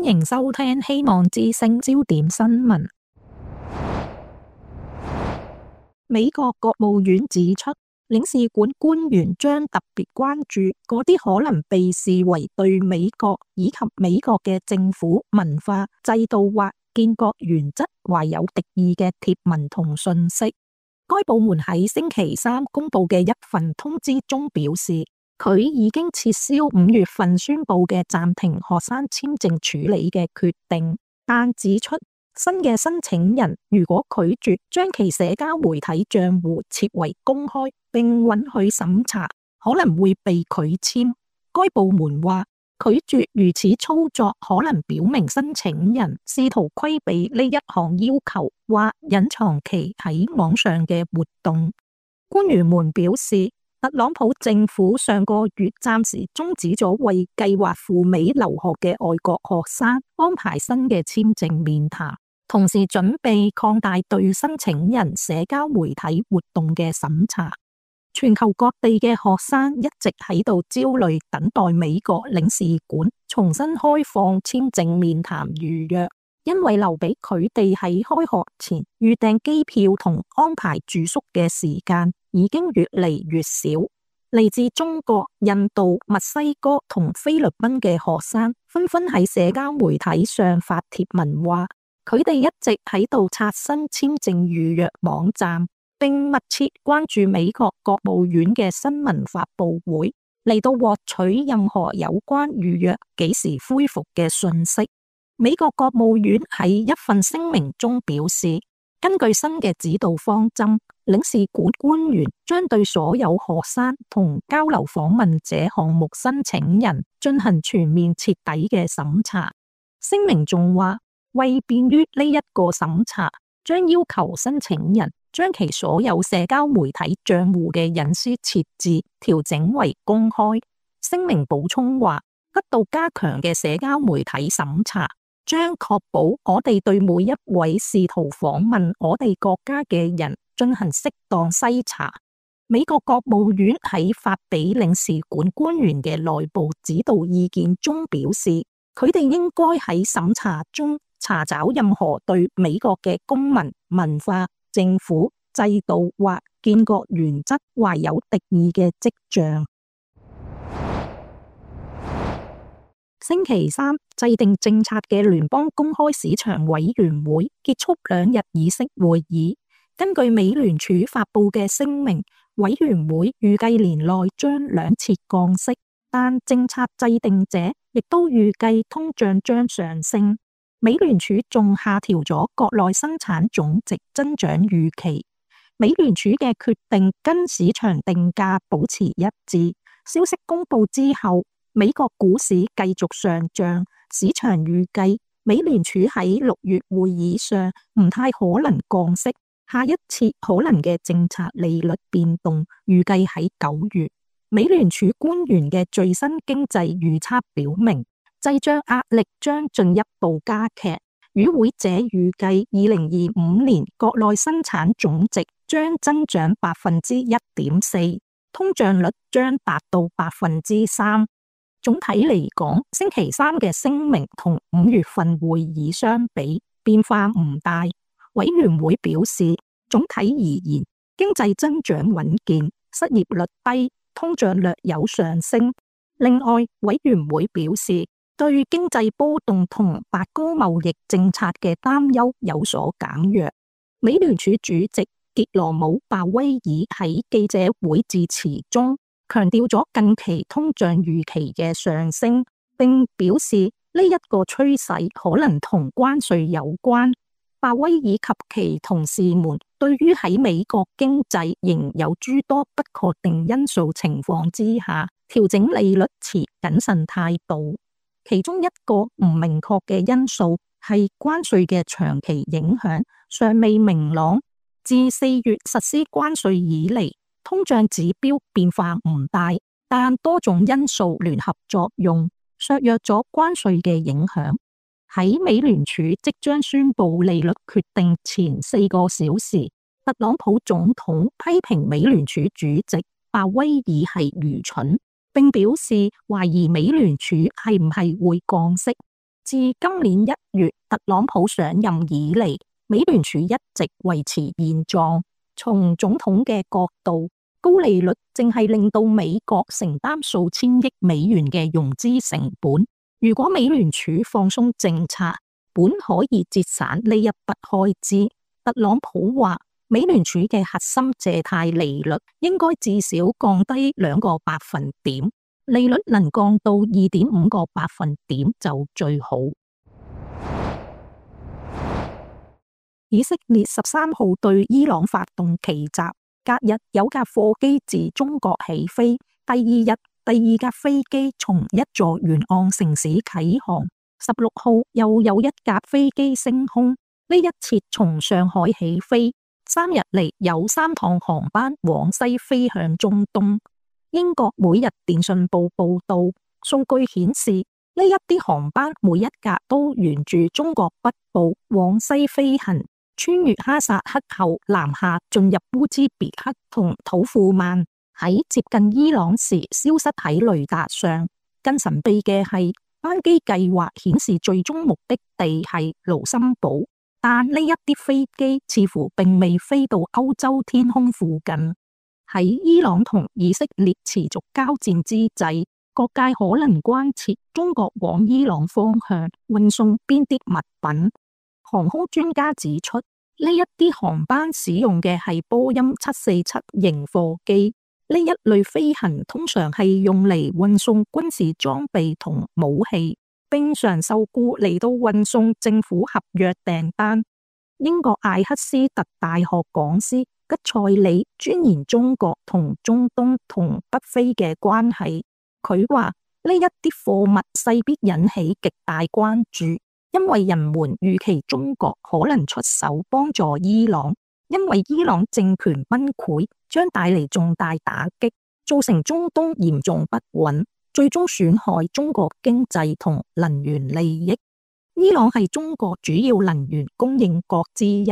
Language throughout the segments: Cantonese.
歡迎收聽希望之聲焦點新聞。美國國務院指出，領事館官員將特別關注嗰啲可能被視為對美國以及美國嘅政府、文化、制度或建國原則懷有敵意嘅貼文同訊息。該部門喺星期三公布嘅一份通知中表示，佢已經撤銷5月份宣布嘅暫停學生簽證處理嘅決定，但指出新嘅申請人如果拒絕將其社交媒體賬戶設為公開並允許審查，可能會被拒簽。該部門話，拒絕如此操作可能表明申請人試圖規避呢一項要求或隱藏其喺網上嘅活動。官員們表示，特朗普政府上個月暫時終止咗為計劃赴美留學嘅外國學生安排新嘅簽證面談，同時準備擴大對申請人社交媒體活動嘅審查。全球各地嘅學生一直喺度焦慮等待美國領事館重新開放簽證面談預約，因為留俾佢哋喺開學前預訂機票同安排住宿嘅時間已經越嚟越少。嚟自中國、印度、墨西哥同菲律賓嘅學生紛紛喺社交媒體上發帖文話，佢哋一直喺度刷新簽證預約網站，並密切關注美國國務院嘅新聞發佈會，嚟到獲取任何有關預約幾時恢復嘅訊息。美國國務院喺一份聲明中表示，根據新嘅指導方針，領事館官員將對所有學生同交流訪問者項目申請人進行全面徹底嘅審查。聲明仲話，為便於呢一個審查，將要求申請人將其所有社交媒體賬戶嘅隱私設置調整為公開。聲明補充話，得到加強嘅社交媒體審查將確保我哋對每一位試圖訪問我哋國家嘅人進行適當篩查。美國國務院喺發俾領事館官員嘅內部指導意見中表示，佢哋應該喺審查中查找任何對美國嘅公民、文化、政府、制度或建國原則懷有敵意嘅跡象。星期三，制定政策嘅聯邦公開市場委員會結束2日議息會議。根據美聯儲發佈嘅聲明，委員會預計年內將2次降息，但政策制定者亦都預計通脹將上升。美聯儲仲下調咗國內生產總值增長預期。美聯儲嘅決定跟市場定價保持一致。消息公布之後，美國股市繼續上漲，市場預計美聯儲喺6月會議上唔太可能降息，下一次可能嘅政策利率變動預計喺9月。美聯儲官員嘅最新經濟預測表明，滯脹壓力將進一步加劇。與會者預計2025年國內生產總值將增長1.4%，通脹率將達到3%。總體嚟講，星期三嘅聲明同5月份會議相比，變化唔大。委員會表示，總體而言，經濟增長穩健，失業率低，通脹略有上升。另外，委員會表示，對經濟波動同白宮貿易政策嘅擔憂有所減弱。美聯儲主席傑羅姆·鮑威爾喺記者會致辭中強調咗近期通脹預期嘅上升，並表示呢一個趨勢可能同關稅有關。鮑威爾及其同事們對於喺美國經濟仍有諸多不確定因素情況之下，調整利率持謹慎態度。其中一個唔明確嘅因素係關稅嘅長期影響尚未明朗。自4月實施關稅以嚟，通脹指標變化唔大，但多種因素聯合作用，削弱咗關稅嘅影響。喺美聯儲即將宣布利率決定前4個小時，特朗普總統批評美聯儲主席鮑威爾係愚蠢，並表示懷疑美聯儲係唔係會降息。自今年1月特朗普上任以嚟，美聯儲一直維持現狀。從總統嘅角度，高利率正係令到美國承擔數千億美元嘅融資成本。如果美聯儲放鬆政策，本可以節省呢一筆開支。特朗普話，美聯儲嘅核心借貸利率應該至少降低2個百分點，利率能降到2.5個百分點就最好。以色列13號對伊朗發動奇襲，隔日有架貨機自中國起飛，第二架飛機從一座沿岸城市啟航。16號又有一架飛機升空，呢一次從上海起飛，3日嚟有3趟航班往西飛向中東。英國每日電訊報報道，數據顯示呢一啲航班每一架都沿住中國北部往西飛行，穿越哈薩克後南下進入烏茲別克同土庫曼，喺接近伊朗時消失喺雷達上。更神秘嘅係，班機計劃顯示最終目的地係盧森堡，但呢一啲飛機似乎並未飛到歐洲天空附近。喺伊朗同以色列持續交戰之際，各界可能關切中國往伊朗方向運送邊啲物品。航空專家指出，呢一啲航班使用嘅係波音747型貨機，呢一類飛行通常係用嚟運送軍事裝備同武器，並常受僱嚟到運送政府合約訂單。英國艾克斯特大學講師吉塞里鑽研中國同中東同北非嘅關係，佢話呢一啲貨物勢必引起極大關注，因為人們預期中國可能出手幫助伊朗，因為伊朗政權崩潰將帶嚟重大打擊，造成中東嚴重不穩，最終損害中國經濟同能源利益。伊朗係中國主要能源供應國之一，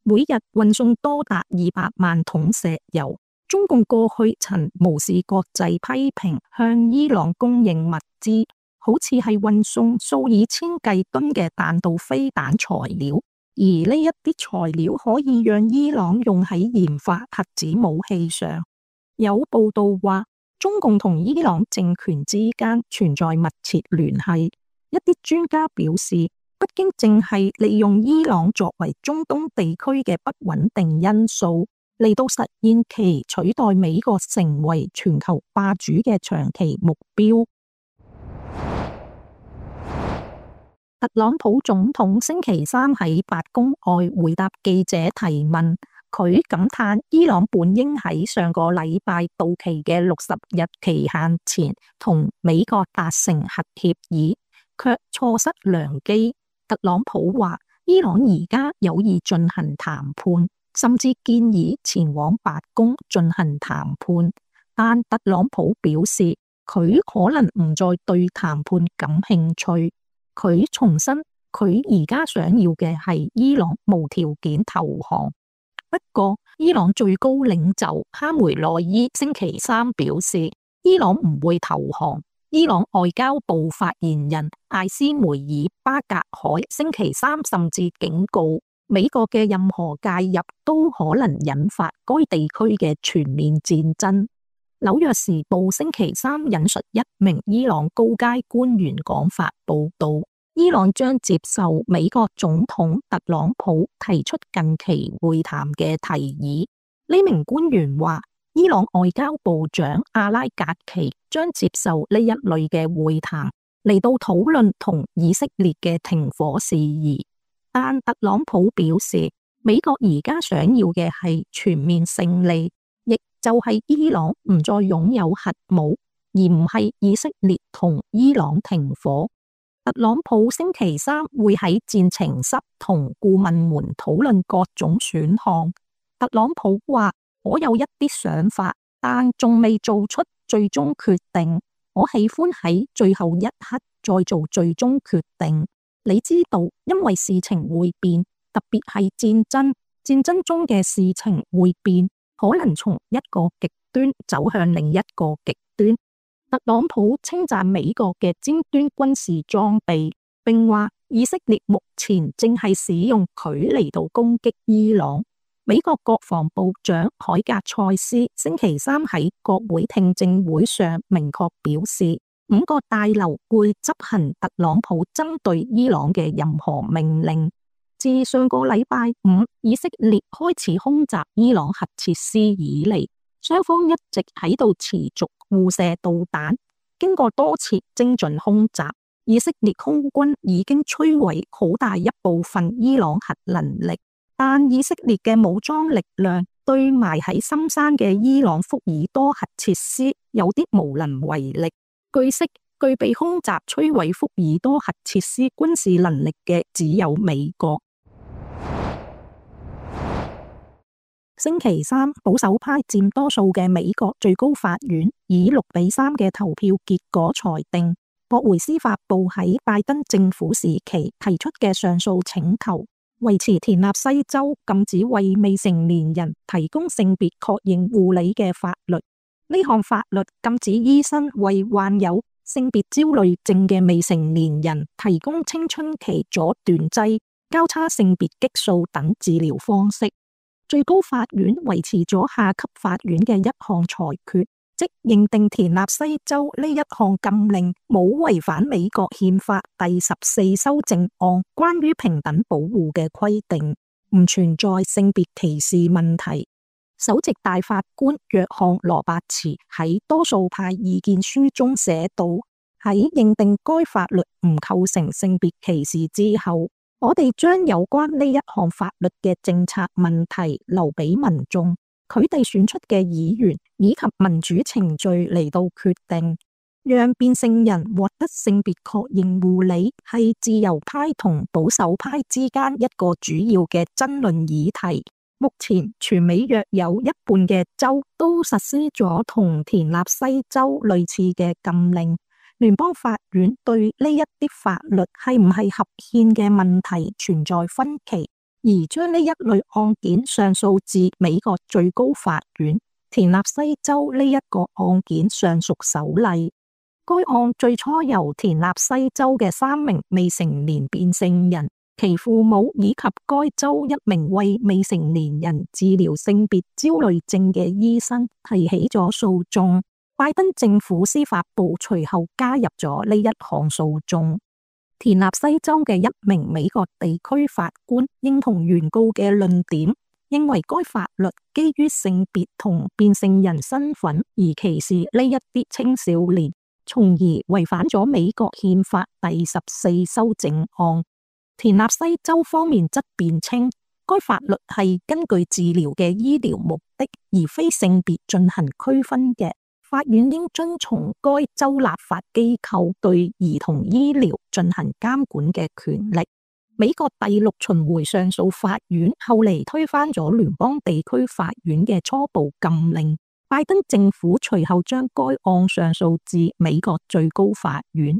每日運送多達200萬桶石油。中共過去曾無視國際批評，向伊朗供應物資，好似係運送數以千計噸嘅彈道飛彈材料，而呢一啲材料可以讓伊朗用喺研發核子武器上。有報道話，中共同伊朗政權之間存在密切聯繫。一啲專家表示，北京正係利用伊朗作為中東地區嘅不穩定因素，嚟到實現其取代美國成為全球霸主嘅長期目標。特朗普總統星期三喺白宮外回答記者提問，佢感嘆伊朗本應喺上個禮拜到期嘅60日期限前同美國達成核協議，卻錯失良機。特朗普話，伊朗而家有意進行談判，甚至建議前往白宮進行談判，但特朗普表示佢可能唔再對談判感興趣。佢重申佢而家想要嘅係伊朗無條件投降。不過，伊朗最高領袖哈梅內伊星期三表示，伊朗唔會投降。伊朗外交部發言人艾斯梅爾巴格海星期三甚至警告，美國嘅任何介入都可能引發該地區嘅全面戰爭。紐約時報星期三引述一名伊朗高階官員講法報道，伊朗將接受美國總統特朗普提出近期會談嘅提議。呢名官員話，伊朗外交部長阿拉格奇將接受呢一類嘅會談，嚟到討論同以色列嘅停火事宜。但特朗普表示，美國而家想要嘅係全面勝利，亦就係伊朗唔再擁有核武，而唔係以色列同伊朗停火。特朗普星期三會喺戰情室同顧問們討論各種選項。特朗普話，我有一啲想法，但仲未做出最終決定。我喜歡喺最後一刻再做最終決定。你知道，因為事情會變，特別係戰爭中嘅事情會變，可能從一個極端走向另一個極端。特朗普稱讚美國嘅尖端軍事裝備，並話以色列目前正係使用佢嚟到攻擊伊朗。美國國防部長海格塞斯星期三喺國會聽證會上明確表示，5個大樓會執行特朗普針對伊朗嘅任何命令。自上個禮拜五以色列開始空襲伊朗核設施以嚟，雙方一直喺度持續互射導彈。經過多次精準空襲，以色列空軍已經摧毀好大一部分伊朗核能力，但以色列嘅武裝力量對埋喺深山嘅伊朗福爾多核設施有啲無能為力。據悉，具備空襲摧毀福爾多核設施軍事能力嘅只有美國。星期三，保守派佔多數嘅美國最高法院以6-3嘅投票結果裁定，駁回司法部喺拜登政府時期提出嘅上訴請求，維持田納西州禁止為未成年人提供性別確認護理嘅法律。呢項法律禁止醫生為患有性別焦慮症嘅未成年人提供青春期阻斷劑、交叉性別激素等治療方式。最高法院維持咗下級法院嘅一項裁決，即認定田納西州呢一項禁令冇違反美國憲法第14修正案關於平等保護嘅規定，唔存在性別歧視問題。首席大法官約翰羅伯茨喺多數派意見書中寫道，喺認定該法律唔構成性別歧視之後，我哋將有關呢一項法律嘅政策問題留俾民眾，佢哋選出嘅議員以及民主程序嚟到決定。讓變性人獲得性別確認護理係自由派同保守派之間一個主要嘅爭論議題。目前全美約有一半嘅州都實施咗同田納西州類似嘅禁令。聯邦法院對呢一啲法律係唔係合憲嘅問題存在分歧，而將呢一類案件上訴至美國最高法院。田納西州呢一個案件尚屬首例。該案最初由田納西州嘅3名未成年變性人、其父母以及該州一名為未成年人治療性別焦慮症嘅醫生提起咗訴訟。拜登政府司法部隨後加入咗呢一項訴訟。田納西州嘅一名美國地區法官認同原告嘅論點，認為該法律基於性別同變性人身份而歧視呢一啲青少年，從而違反咗美國憲法第14修正案。田納西州方面則辯稱，該法律係根據治療嘅醫療目的，而非性別進行區分嘅。法院應遵從該州立法機構對兒童醫療進行監管嘅權力。美國第6巡迴上訴法院後嚟推翻咗聯邦地區法院嘅初步禁令。拜登政府隨後將該案上訴至美國最高法院。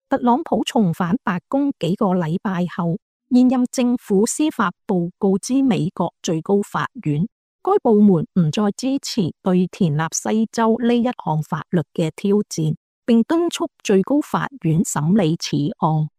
特朗普重返白宮幾個禮拜後，現任政府司法部告知美國最高法院，該部門唔再支持對田納西州呢一項法律嘅挑戰，並敦促最高法院審理此案。